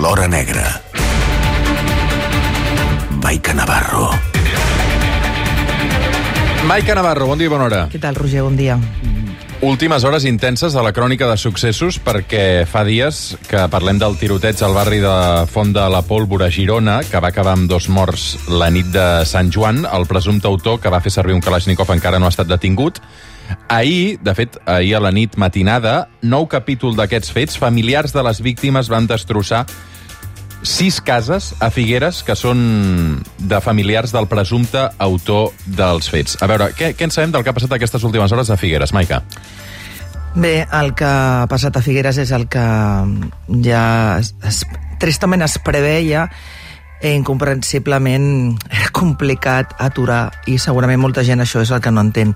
l'hora negra. Maica Navarro. Maica Navarro, bon dia i bona hora. Què tal, Roger? Bon dia. Últimes hores intenses de la crònica de successos, perquè fa dies que parlem del tiroteig al barri de Font de la Pólvora, Girona, que va acabar amb 2 morts la nit de Sant Joan. El presumpte autor, que va fer servir un Kalashnikov, encara no ha estat detingut. Ahir, de fet, ahir a la nit matinada, 9 capítol d'aquests fets, familiars de les víctimes van destrossar 6 cases a Figueres que són de familiars del presumpte autor dels fets. A veure, què en sabem del que ha passat aquestes últimes hores a Figueres, Maica? Bé, el que ha passat a Figueres és el que ja tristament es preveia. Incomprensiblement era complicat aturar, i segurament molta gent això és el que no entén.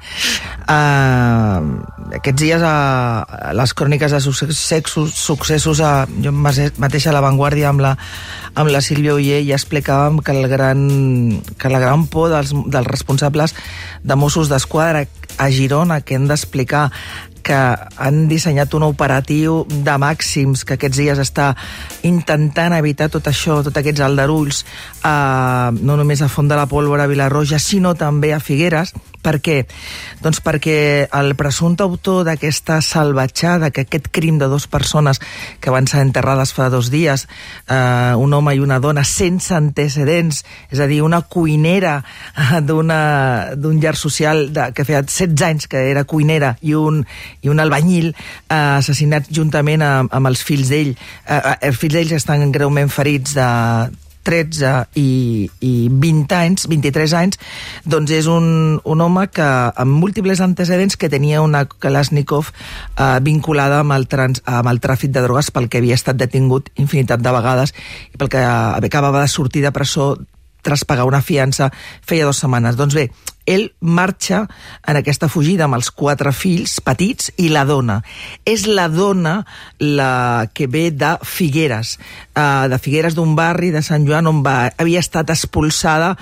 Aquests dies les cròniques de successos jo mateixa a La Vanguardia amb la Sílvia Oller ja explicàvem que la gran por dels responsables de Mossos d'Esquadra a Girona, que hem d'explicar que han dissenyat un operatiu de màxims que aquests dies està intentant evitar tot això, tots aquests aldarulls, no només a Font de la Pólvora, a Vilarroja, sinó també a Figueres. Per què? Doncs perquè el presumpte autor d'aquesta salvatjada, que aquest crim de 2 persones que van ser enterrades fa 2 dies, un home i una dona sense antecedents, és a dir, una cuinera d'un llar social que feia 16 anys que era cuinera i un albanyil, assassinats juntament amb els fills d'ell. Els fills d'ells estan greument ferits de 13 i 20 anys, 23 anys, doncs és un home que amb múltiples antecedents, que tenia una Kalashnikov vinculada amb el tràfic de drogues, pel que havia estat detingut infinitat de vegades i pel que acabava de sortir de presó tras pagar una fiança feia 2 setmanes. Doncs bé, ell marxa en aquesta fugida amb els 4 fills petits i la dona. És la dona la que ve de Figueres, d'un barri de Sant Joan on havia estat expulsada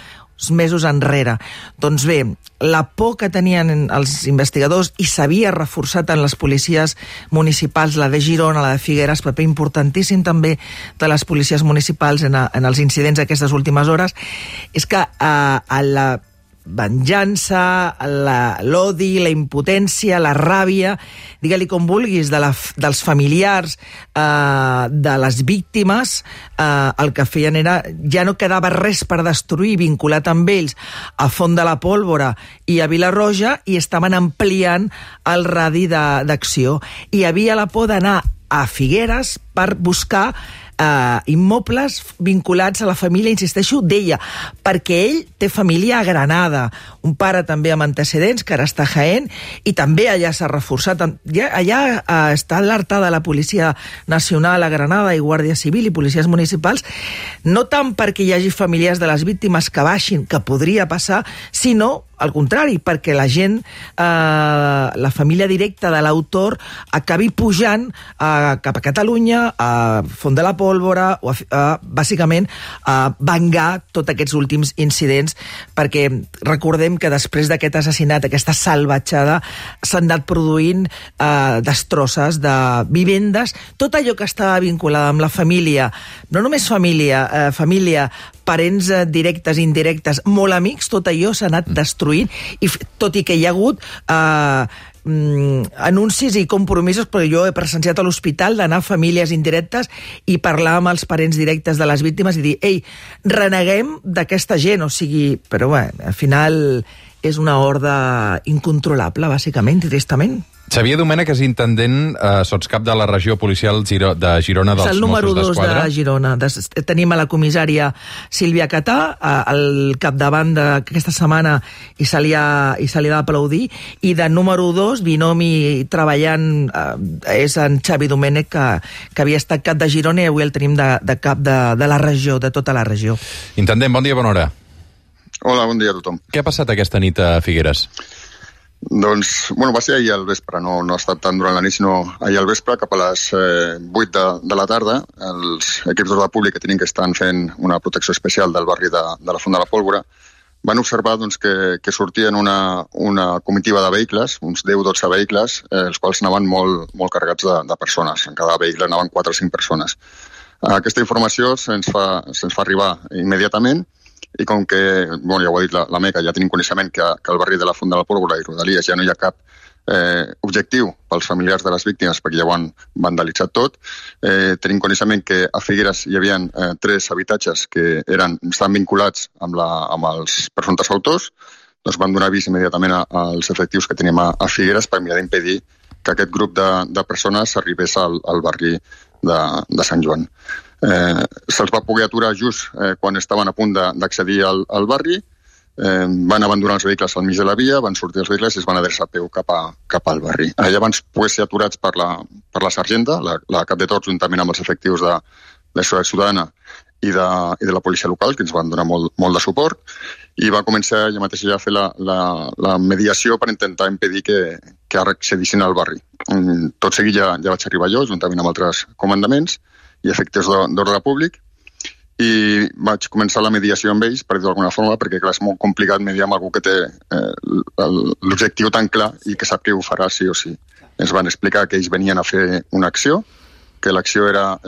mesos enrere. Doncs bé, la por que tenien els investigadors, i s'havia reforçat en les policies municipals, la de Girona, la de Figueres, paper importantíssim també de les policies municipals en els incidents d'aquestes últimes hores, és que la venjança, l'odi, la impotència, la ràbia, digue-li com vulguis, dels familiars de les víctimes, el que feien era, ja no quedava res per destruir vinculat amb ells a Font de la Pólvora i a Vilarroja, i estaven ampliant el radi d'acció. I hi havia la por d'anar a Figueres per buscar immobles vinculats a la família, insisteixo, d'ella, perquè ell té família a Granada, un pare també amb antecedents, que ara està a Jaén, i també allà s'ha reforçat. Allà està alertada la Policia Nacional a Granada i Guàrdia Civil i policies municipals, no tant perquè hi hagi familiars de les víctimes que baixin, que podria passar, sinó al contrari, perquè la gent, la família directa de l'autor, acabi pujant cap a Catalunya, a Font de la Pólvora, o bàsicament a vengar tots aquests últims incidents, perquè recordem que després d'aquest assassinat, aquesta salvatjada, s'han anat produint destrosses de vivendes, tot allò que estava vinculada amb la família, no només família, parents directes, indirectes, molt amics, tot allò s'ha anat destruint, i tot i que hi ha hagut anuncis i compromisos, perquè jo he presenciat a l'hospital d'anar a famílies indirectes i parlar amb els parents directes de les víctimes i dir, ei, reneguem d'aquesta gent, o sigui, però bé, al final és una horda incontrolable, bàsicament, tristament. Xavier Domènech és intendent sotscap de la regió policial de Girona dels Mossos d'Esquadra. És el número 2 de Girona. Tenim a la comissària Sílvia Catà, al capdavant d'aquesta setmana, i se li ha d'aplaudir, i de número 2, binomi treballant, és en Xavi Domènech, que havia estat cap de Girona, i avui el tenim de cap de la regió, de tota la regió. Intendent, bon dia, bona hora. Hola, bon dia a tothom. Què ha passat aquesta nit a Figueres? Doncs, bueno, va ser ahir al vespre, no ha estat tant durant la nit, sinó ahir al vespre, cap a les 8 de la tarda, els equips d'ordre públic que tenien que estar fent una protecció especial del barri de la Font de la Pólvora van observar doncs, que sortien una comitiva de vehicles, uns 10-12 vehicles, els quals anaven molt carregats de persones. En cada vehicle anaven 4 o 5 persones. Aquesta informació se'ns fa arribar immediatament i com que, ja ho ha dit la Meca, ja tenim coneixement que al barri de la Font de la Pólvora i Rodalies ja no hi ha cap objectiu pels familiars de les víctimes perquè ja ho han vandalitzat tot. Tenim coneixement que a Figueres hi havia 3 habitatges que estaven vinculats amb els presumptes autors. Doncs van donar avís immediatament als efectius que tenim a Figueres per mirar d'impedir que aquest grup de persones arribés al barri de Sant Joan. Se'ls va poder aturar just quan estaven a punt d'accedir al barri, van abandonar els vehicles al mig de la via, van sortir els vehicles i es van adreçar a peu cap al barri. Allà van poder ser aturats per la sergenta, la cap de tots, juntament amb els efectius de Seguretat Ciutadana i de la policia local, que ens van donar molt de suport, i va començar ella mateixa ja a fer la mediació per intentar impedir que accedissin al barri. Tot seguit ja vaig arribar jo, juntament amb altres comandaments i efectius d'ordre públic, i vaig començar la mediació amb ells, per dir-ho d'alguna forma, perquè clar, és molt complicat mediar amb algú que té l'objectiu tan clar i que sap que ho farà sí o sí. Ens van explicar que ells venien a fer una acció, que l'acció era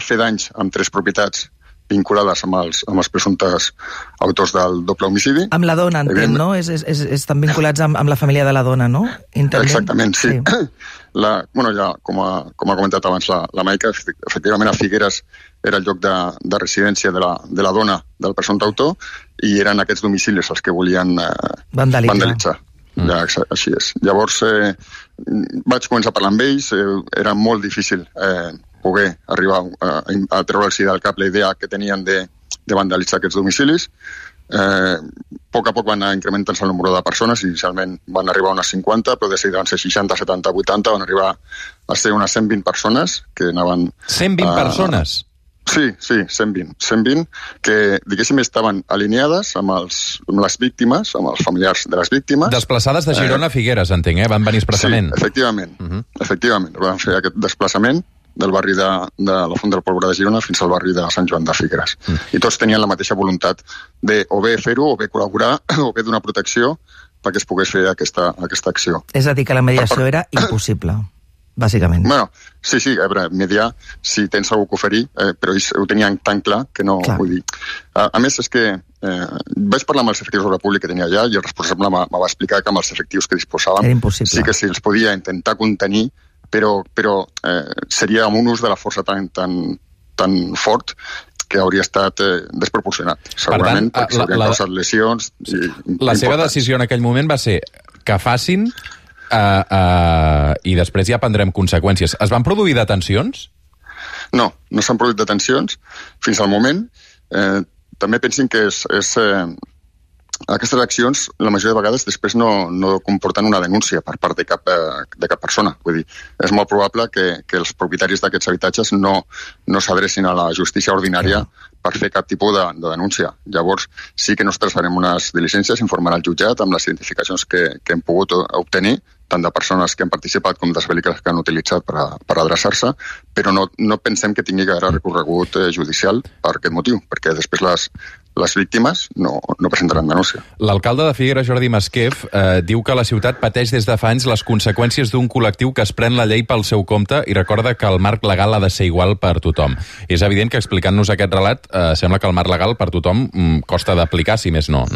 fer danys amb 3 propietats vinculades amb els presumptes autors del doble homicidi. Amb la dona, entenc, no? Estan vinculats amb la família de la dona, no? Exactament, sí. Ja, com ha comentat abans la Maica, efectivament a Figueres era el lloc de residència de la dona del presumpte autor i eren aquests domicilis els que volien vandalitzar. Ja, així és. Llavors vaig començar a parlar amb ells, era molt difícil poder arribar a treure'ls del cap la idea que tenien de vandalitzar aquests domicilis. A poc van anar incrementant-se el número de persones, inicialment van arribar a unes 50, però de seguida van ser 60, 70, 80, van arribar a ser unes 120 persones que anaven... 120 persones? Sí, 120, que, diguéssim, estaven alineades amb les víctimes, amb els familiars de les víctimes. Desplaçades de Girona a Figueres, entenc, Van venir expressament. Sí, efectivament. Van fer aquest desplaçament del barri de la Font de la Pólvora de Girona fins al barri de Sant Joan de Figueres. I tots tenien la mateixa voluntat de o bé fer-ho, o bé col·laborar, o bé donar protecció perquè es pogués fer aquesta acció. És a dir, que la mediació era impossible, bàsicament. Bueno, sí, a veure, mediar, si tens algú que oferir, però ells ho tenien tan clar que no... Vull dir. A més, és que vaig parlar amb els efectius de la Pública que tenia allà i el responsable me va explicar que amb els efectius que disposàvem sí que se'ls podia intentar contenir, però seria amb un ús de la força tan fort que hauria estat desproporcionat. Segurament, perquè s'haurien causat lesions. La seva decisió en aquell moment va ser que facin i després ja prendrem conseqüències. Es van produir detencions? No s'han produït detencions fins al moment. També pensin que aquestes accions, la majoria de vegades, després no comporten una denúncia per part de cap persona. Vull dir, és molt probable que els propietaris d'aquests habitatges no s'adrecin a la justícia ordinària per fer cap tipus de denúncia. Llavors, sí que nos traçarem unes diligències, informarà el jutjat amb les identificacions que hem pogut obtenir, tant de persones que han participat com dels vehicles que han utilitzat per adreçar-se, però no pensem que tingui gaire recorregut judicial per aquest motiu, perquè després les víctimes no presentaran denúncia. L'alcalde de Figueres, Jordi Masquef, diu que la ciutat pateix des de fa anys les conseqüències d'un col·lectiu que es pren la llei pel seu compte i recorda que el marc legal ha de ser igual per tothom. És evident que explicant-nos aquest relat sembla que el marc legal per tothom costa d'aplicar, si més no?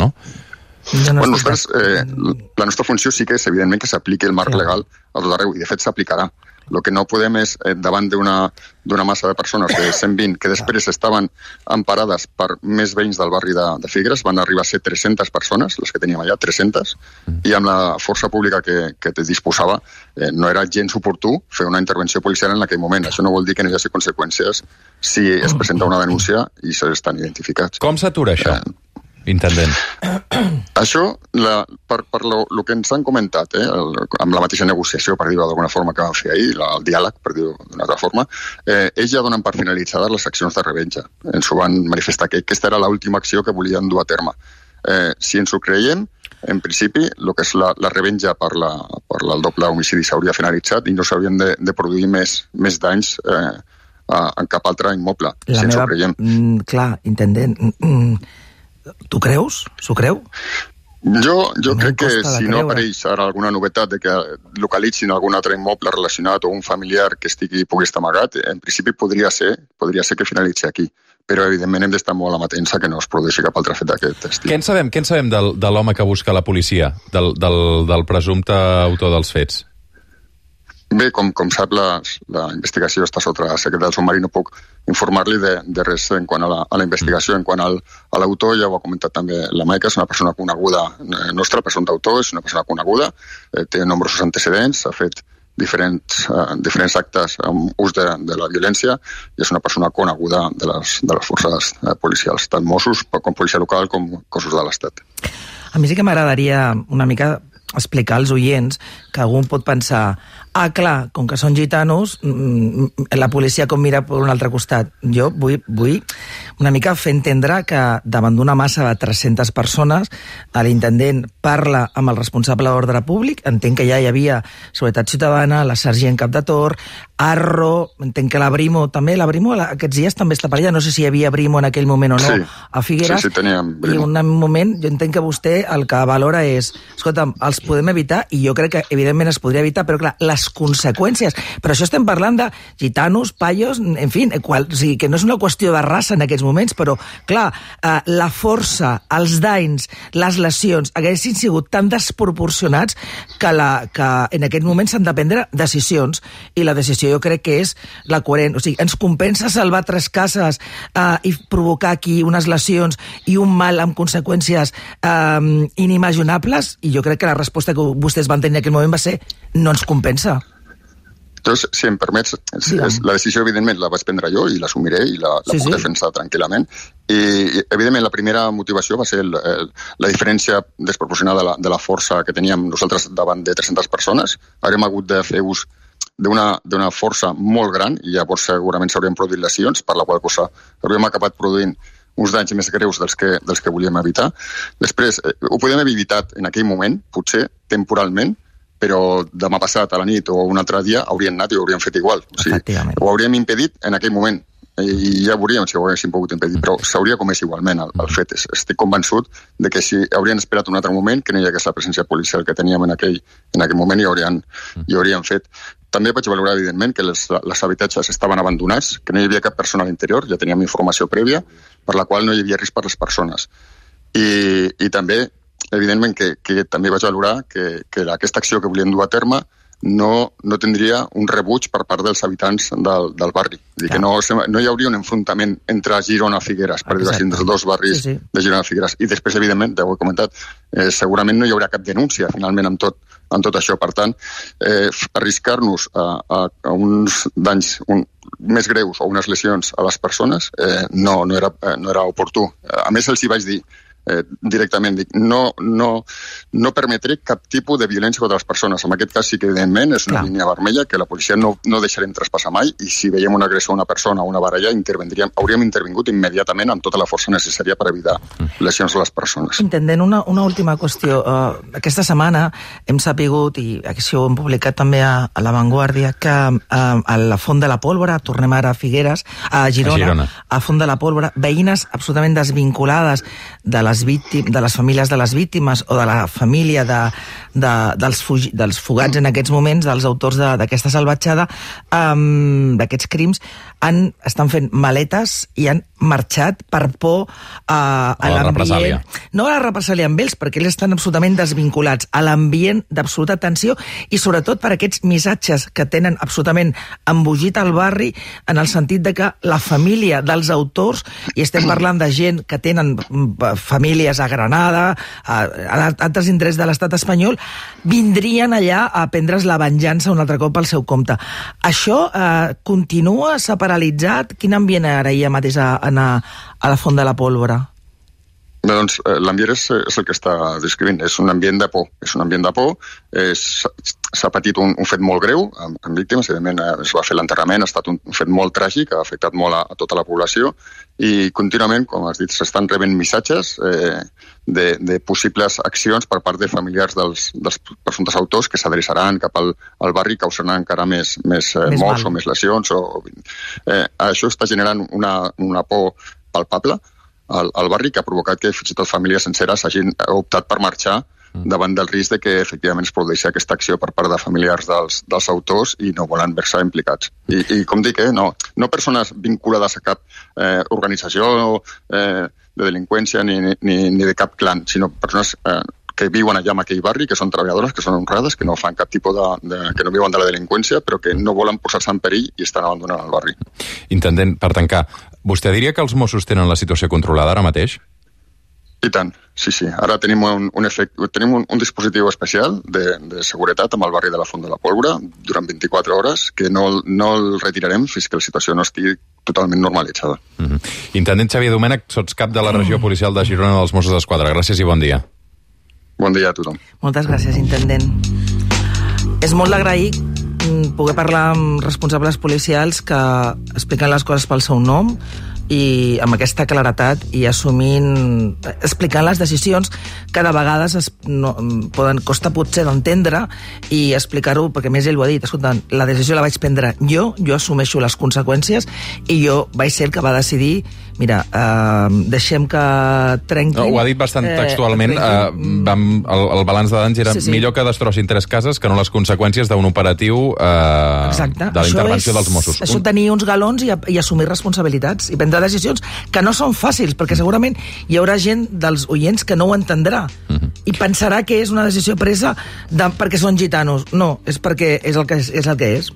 Nosaltres, la nostra funció sí que és, evidentment, que s'apliqui el marc legal a tot arreu, i de fet s'aplicarà. El que no podem és, davant d'una massa de persones de 120 que després estaven emparades per més veïns del barri de Figueres, van arribar a ser 300 persones, les que teníem allà, 300, i amb la força pública que disposava no era gens oportú fer una intervenció policial en aquell moment. Això no vol dir que no hi hagi conseqüències si es presenta una denúncia i s'estan identificats. Com s'atura això? Intendent. Això, per el que ens han comentat, amb la mateixa negociació, per dir-ho d'alguna forma, que vam fer ahir, el diàleg, per dir-ho d'una altra forma, ells ja donen per finalitzades les accions de revenja. Ens ho van manifestar, que aquesta era l'última acció que volien dur a terme. Si ens ho creiem, en principi, el que és la revenja per el doble homicidi s'hauria finalitzat i no s'haurien de produir més danys en cap altre immoble, si ens ho creiem. Clar, intendent... Tu creus? S'ho creu? Jo crec que si no apareix ara alguna novetat de que localitzin algun altre immoble relacionat o un familiar que pugui estar amagat, en principi podria ser que finalitzi aquí. Però, evidentment, hem d'estar molt amatents a que no es produeixi cap altre fet d'aquest estil. Què en sabem de l'home que busca la policia, del presumpte autor dels fets? Bé, com sap, la investigació està sota la secret del submarí, no puc informar-li de res en quant a la investigació. En quant a l'autor, ja ho ha comentat també la Maica, és una persona coneguda nostra, el presumpte autor, és una persona coneguda, té nombrosos antecedents, ha fet diferents actes amb ús de la violència i és una persona coneguda de les forces policials, tant Mossos com policia local com cossos de l'Estat. A mi sí que m'agradaria una mica explicar als oients que algú pot pensar clar, com que són gitanos, la policia com mira per un altre costat. Jo vull una mica fer entendre que davant d'una massa de 300 persones l'intendent parla amb el responsable d'ordre públic, entenc que ja hi havia Seguretat Ciutadana, la sergent cap de torn, Arro, entenc que la Brimo també, la Brimo aquests dies també està per allà, no sé si hi havia Brimo en aquell moment o no, a Figueres, sí, teníem Brimo. I un moment, jo entenc que vostè el que valora és, escolta'm, els podem evitar, i jo crec que evidentment es podria evitar, però clar, les conseqüències, però això estem parlant de gitanos, paios, en fi, o sigui, que no és una qüestió de raça en aquests moments, però clar, la força, els danys, les lesions, haguessin sigut tan desproporcionats que en aquest moment s'han de prendre decisions, i la decisió jo crec que és la coherent. O sigui, ens compensa salvar 3 cases i provocar aquí unes lesions i un mal amb conseqüències inimaginables, i jo crec que la resposta que vostès van tenir en aquell moment va ser no ens compensa. Doncs, si em permets, la decisió, evidentment, la vaig prendre jo i l'assumiré i la puc defensar tranquil·lament. I, evidentment, la primera motivació va ser la diferència desproporcionada de la força que teníem nosaltres davant de 300 persones. Haurem hagut de fer ús d'una força molt gran i llavors segurament s'haurien produït lesions, per la qual cosa hauríem acabat produint uns danys més greus dels que volíem evitar. Després, ho podíem haver evitat en aquell moment, potser temporalment, però demà passat a la nit o un altre dia haurien anat i ho haurien fet igual. O sigui, ho hauríem impedit en aquell moment i ja veuríem si ho haguéssim pogut impedir, però s'hauria comès igualment el fet. Estic convençut de que si haurien esperat un altre moment, que no hi hagués la presència policial que teníem en aquell moment i haurien fet. També vaig valorar, evidentment, que els habitatges estaven abandonats, que no hi havia cap persona a l'interior, ja teníem informació prèvia, per la qual no hi havia risc per les persones. I també, evidentment, que també vaig valorar que aquesta acció que volien dur a terme no tindria un rebuig per part dels habitants del barri. És dir, que no hi hauria un enfrontament entre Girona i Figueres, per dir-ho així, entre els dos barris de Girona i Figueres. I després, evidentment, ja ho he comentat, segurament no hi haurà cap denúncia, finalment, amb tot això. Per tant, arriscar-nos a uns danys més greus o unes lesions a les persones no era oportú. A més, els hi vaig dir directament, no permetré cap tipus de violència contra les persones. En aquest cas sí que evidentment és una línia vermella que la policia no deixarem traspassar mai, i si veiem una agressió a una persona o una baralla hauríem intervingut immediatament amb tota la força necessària per evitar lesions a les persones. Intendent, una última qüestió. Aquesta setmana hem sapigut, i això ho hem publicat també a La Vanguardia, que a la Font de la Pólvora, tornem ara a Figueres, a Girona, a Font de la Pólvora, veïnes absolutament desvinculades de les famílies de les víctimes o de la família dels fugats en aquests moments, dels autors d'aquesta salvatjada, d'aquests crims, estan fent maletes i han marxat per por a l'ambient. No a la represàlia amb ells, perquè ells estan absolutament desvinculats, a l'ambient d'absoluta tensió, i sobretot per aquests missatges que tenen absolutament embogit al barri, en el sentit de que la família dels autors, i estem parlant de gent que tenen famílies a Granada, a altres indrets de l'estat espanyol, vindrien allà a prendre's la venjança un altre cop al seu compte. Això continua, s'ha paralitzat? Quin ambient ara hi ha mateix a la Font de la Pólvora? Bé, doncs, l'ambient és el que està descrivint. És un ambient de por. S'ha patit un fet molt greu amb víctimes. Evidentment, es va fer l'enterrament, ha estat un fet molt tràgic, ha afectat molt a tota la població, i contínuament, com has dit, s'estan rebent missatges de possibles accions per part de familiars dels presumptes autors que s'adreçaran cap al barri i causaran encara més morts o més lesions. Això està generant una por palpable al barri, que ha provocat que fins i tot famílies senceres hagin optat per marxar davant del risc de que efectivament es produeixi aquesta acció per part de familiars dels autors i no volen veure-se implicats. I com dic, no persones vinculades a cap organització de delinqüència ni de cap clan, sinó persones que viuen allà en aquell barri, que són treballadores, que són honrades, que no fan cap tipus que no viuen de la delinqüència, però que no volen posar-se en perill i estan abandonant el barri. Intendent, per tancar, vostè diria que els Mossos tenen la situació controlada ara mateix? I tant, sí. Ara tenim un dispositiu especial de seguretat amb el barri de la Font de la Pólvora durant 24 hores, que no el retirarem fins que la situació no estigui totalment normalitzada. Intendent Xavier Domènech, sots cap de la regió policial de Girona dels Mossos d'Esquadra. Gràcies i bon dia. Bon dia a tothom. Moltes gràcies, intendent. És molt d'agrair poder parlar amb responsables policials que expliquen les coses pel seu nom i amb aquesta claretat i explicant les decisions que de vegades costa potser d'entendre i explicar-ho, perquè més ell ho ha dit, escolta, la decisió la vaig prendre jo assumeixo les conseqüències i jo vaig ser el que va decidir, mira, deixem que trenquin... Ho ha dit bastant textualment, el balanç de danys era millor que destrossin 3 cases que no les conseqüències d'un operatiu de la intervenció dels Mossos. Això tenir uns galons i assumir responsabilitats i prendre decisions que no són fàcils, perquè segurament hi haurà gent dels oients que no ho entendrà i pensarà que és una decisió presa perquè són gitanos. No, és perquè és el que és.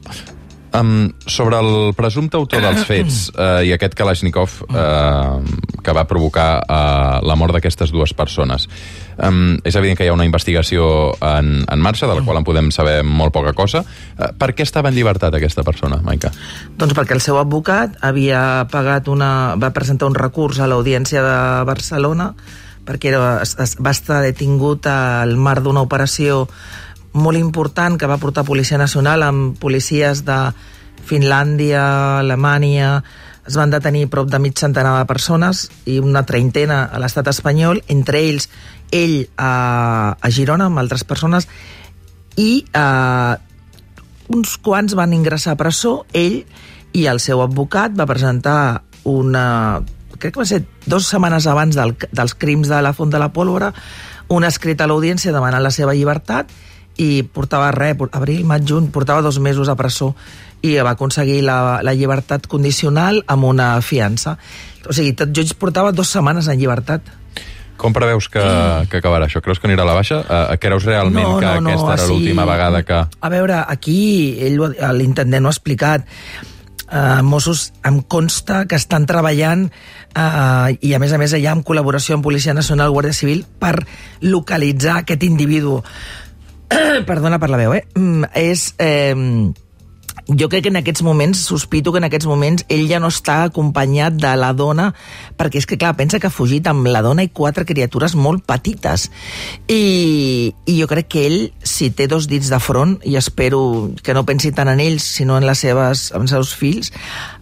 Sobre el presumpte autor dels fets i aquest Kalashnikov que va provocar la mort d'aquestes 2 persones, és evident que hi ha una investigació en marxa, de la qual en podem saber molt poca cosa. Per què estava en llibertat aquesta persona, Maica? Doncs perquè el seu advocat va presentar un recurs a l'Audiència de Barcelona perquè va estar detingut al marc d'una operació molt important que va portar Policia Nacional amb policies de Finlàndia, Alemanya. Es van detenir prop de mig centenar de persones i una treintena a l'estat espanyol, entre ells ell a Girona amb altres persones, i uns quants van ingressar a presó. Ell i el seu advocat va presentar crec que va ser 2 setmanes abans dels crims de la Font de la Pólvora, un escrit a l'Audiència demanant la seva llibertat, i portava abril, maig, juny, portava 2 mesos a presó i va aconseguir la llibertat condicional amb una fiança. O sigui, tot just portava 2 setmanes en llibertat. Com preveus que acabarà això? Creus que anirà a la baixa? Creus realment que aquesta era l'última vegada que... A veure, aquí l'intendent ho ha explicat. Mossos em consta que estan treballant i a més allà en col·laboració amb Policia Nacional, Guàrdia Civil, per localitzar aquest individu. Perdona per la veu, jo crec que en aquests moments, sospito que en aquests moments ell ja no està acompanyat de la dona, perquè és que, clar, pensa que ha fugit amb la dona i 4 criatures molt petites. I jo crec que ell, si té 2 dits de front, i espero que no pensi tant en ells, sinó en els seus fills,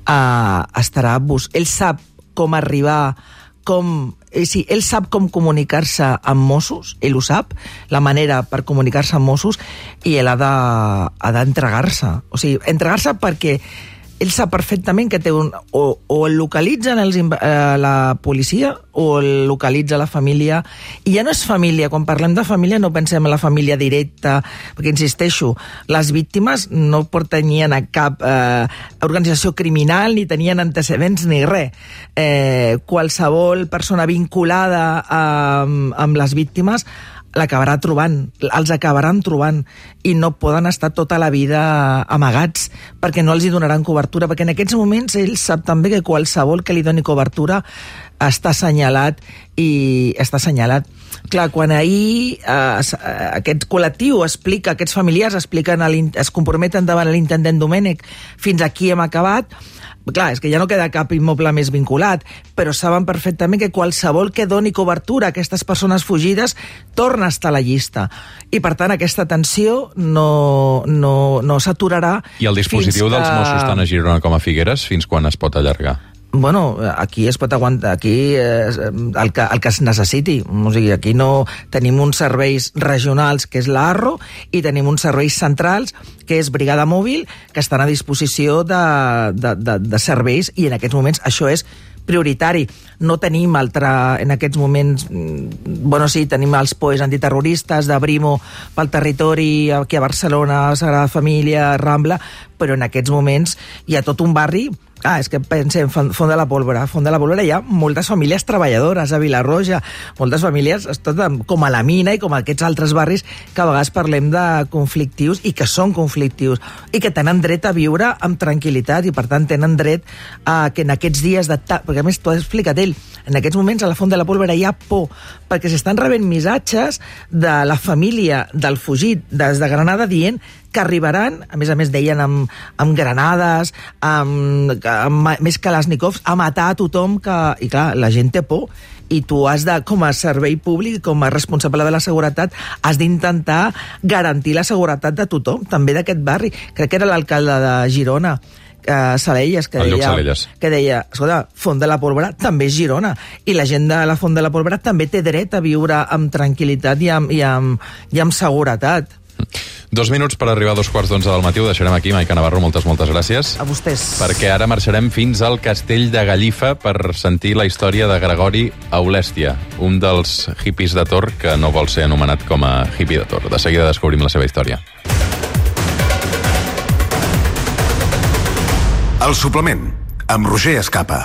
estarà... Ell sap com arribar, ell sap com comunicar-se amb Mossos, ell ho sap, la manera per comunicar-se amb Mossos, i ell ha d'entregar-se. O sigui, entregar-se perquè ell sap perfectament que té o el localitzen la policia o el localitza la família. I ja no és família, quan parlem de família no pensem en la família directa, perquè, insisteixo, les víctimes no pertanyien a cap organització criminal, ni tenien antecedents ni res. Qualsevol persona vinculada amb les víctimes els acabaran trobant i no poden estar tota la vida amagats perquè no els hi donaran cobertura, perquè en aquests moments ell sap també que qualsevol que li doni cobertura està assenyalat i està assenyalat. Clar, quan ahir aquest col·lectiu explica, aquests familiars es comprometen davant l'intendent Domènech, fins aquí hem acabat. Clar, és que ja no queda cap immoble més vinculat, però saben perfectament que qualsevol que doni cobertura a aquestes persones fugides torna a estar a la llista. I, per tant, aquesta tensió no s'aturarà. I el dispositiu dels Mossos tant a Girona com a Figueres, fins quan es pot allargar? Bueno, aquí es pot aguantar, aquí el que es necessiti. O sigui, aquí no tenim uns serveis regionals, que és l'ARRO, i tenim uns serveis centrals, que és Brigada Mòbil, que estan a disposició de serveis, i en aquests moments això és prioritari. No tenim en aquests moments... Bueno, sí, tenim els POEs antiterroristes de Brimo pel territori, aquí a Barcelona, Sagrada Família, Rambla, però en aquests moments hi ha tot un barri... és que pensem, Font de la Pólvora. Font de la Pólvora hi ha moltes famílies treballadores, a Vilarroja, moltes famílies, com a la Mina i com a aquests altres barris que a vegades parlem de conflictius i que són conflictius i que tenen dret a viure amb tranquil·litat i, per tant, tenen dret a que en aquests dies de... Perquè, a més, t'ho ha explicat ell, en aquests moments a la Font de la Pólvora hi ha por, perquè s'estan rebent missatges de la família del fugit des de Granada dient que arribaran, a més deien amb granades, més Kalashnikovs, a matar a tothom que... I clar, la gent té por i tu has de, com a servei públic, com a responsable de la seguretat, has d'intentar garantir la seguretat de tothom, també d'aquest barri. Crec que era l'alcalde de Girona, Salelles, que deia, escolta, Font de la Pólvora també és Girona, i la gent de la Font de la Pólvora també té dret a viure amb tranquil·litat i amb seguretat. 2 minuts per arribar a 2:15 del matí. Ho deixarem aquí. Maica Navarro, moltes gràcies. A vostès. Perquè ara marxarem fins al castell de Gallifa per sentir la història de Gregori Aulèstia, un dels hippies de Tor que no vol ser anomenat com a hippie de Tor. De seguida descobrim la seva història. El suplement, amb Roger Escapa.